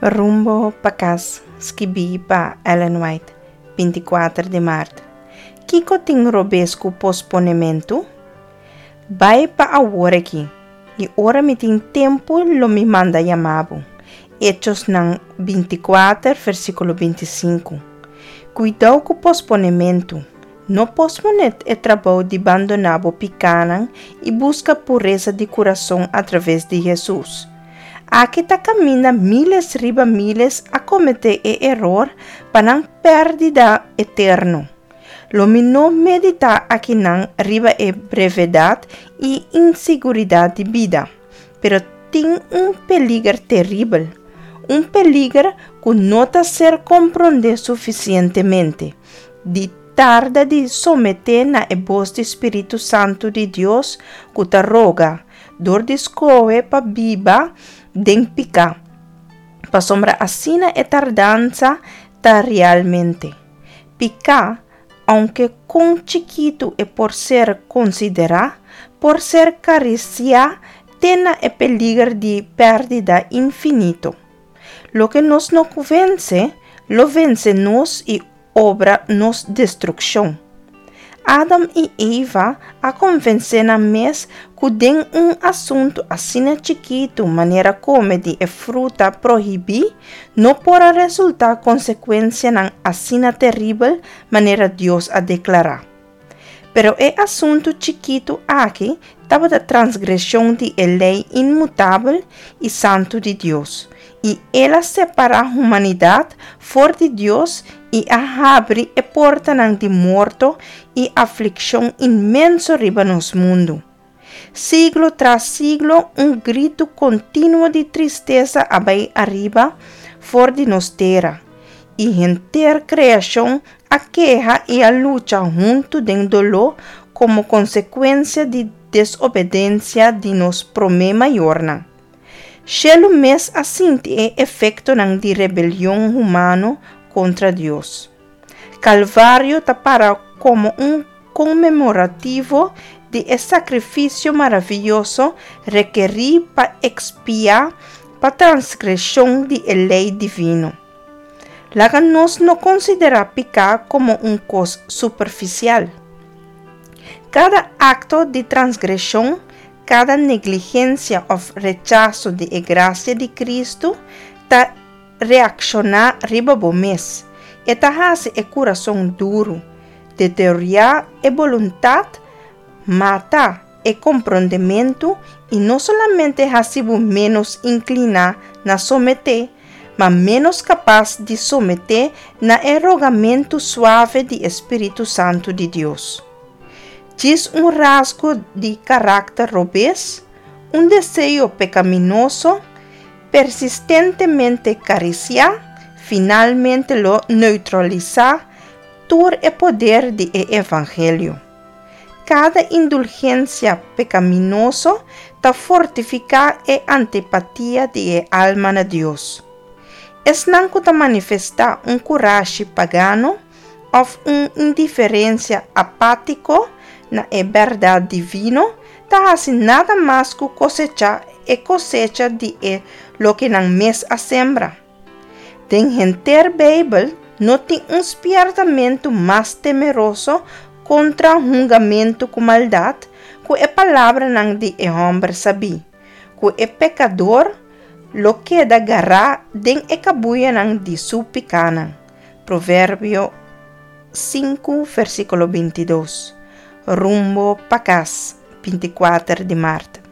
Rumbo pa kas, skibí pa Ellen White, 24 di mart. Kiko tin robes ku posponementu? Bai pa awor aki, i ora mi tin tempu lo mi manda yama bo. Echosnan 24, versíkulo 25. Kuidou ku posponementu. No posponé e trabou di bandoná bo pikánan i buska puresa di kurason atraves di Hesus. Aki ta kaminda míles riba míles a kometé e eror pa nan pèrdida eterno. Lo mi no meditá akinan riba e brevedat i insiguridat di bida, pero tin un peliger teribel, un peliger ku no ta ser komprondé sufisientemente, di tarda di someté na e bos di Spiritu Santu di Dios ku ta roga, Dor di skohe pa biba den piká, pasobra asina e tardansa ta realmente. Piká, ounke kon chikitu e por ser konsiderá, por ser karisiá te na e peliger di pèrdida infinito. Loke nos no ku vense, lo vense nos i obra nos destrukshon. Adam i Eva a konvensé nan mes ku den un asuntu asina chikitu manera kome di e fruta prohibí no por a resultá konsekuensianan asina teribel manera Dios a deklará. Pero e asuntu chikitu aki tabata transgreshon di e lei inmutabel i santu di Dios, i el a separá humanidat for di Dios i a habri e portanan di morto i aflikshon inmenso riba nos mundu. Siglo tras siglo un gritu kontinuo di tristesa a bai ariba for di nos tera, i henter kreashon a keha i a lucha huntu den doló komo konsekuensia di desobedensia di nos promé mayornan. Shelu mes a sinti e efektonan di rebelion humano kontra Dios. Kalvario ta para komo un konmemorativo di e sakrifisio maravioso rekerí pa ekspiá pa transgreshon di e lei divino. Laga nos no konsiderá piká komo un kos superfisial. Kada akto di transgreshon, kada negligensia òf rechaso di e grasia di Kristu ta reakshoná riba bo mes. E ta hasi e kurason duru, deteriorá e boluntat, mata e komprondementu i no solamente hasi bo ménos inkliná na someté, ma ménos kapas di someté na e rogamentu suave di e spiritu santu di Dios. Djis un rasgo di karakter robes, un deseo pekaminoso, persistentemente karisiá, finalmente lo neutralisá tur e poder di e evangelio. Kada indulgensia pekaminoso ta fortifiká e antipatia di e alma na Dios. Esnan ku ta manifestá un kurashi pagano òf un indiferensia apátiko na e bèrdat divino ta hasi nada mas ku kosechá e kosecha di e loke nan mes a sembra. Den henter Beibel no tin un spièrtamentu mas temeroso kontra hungamentu ku maldat ku e palabranan di e hòmber sabí, ku e pekador lo keda gará den e kabuyanan di su pikánan. Proverbio 5, versíkulo 22. Rumbo pa kas, 24 di mart.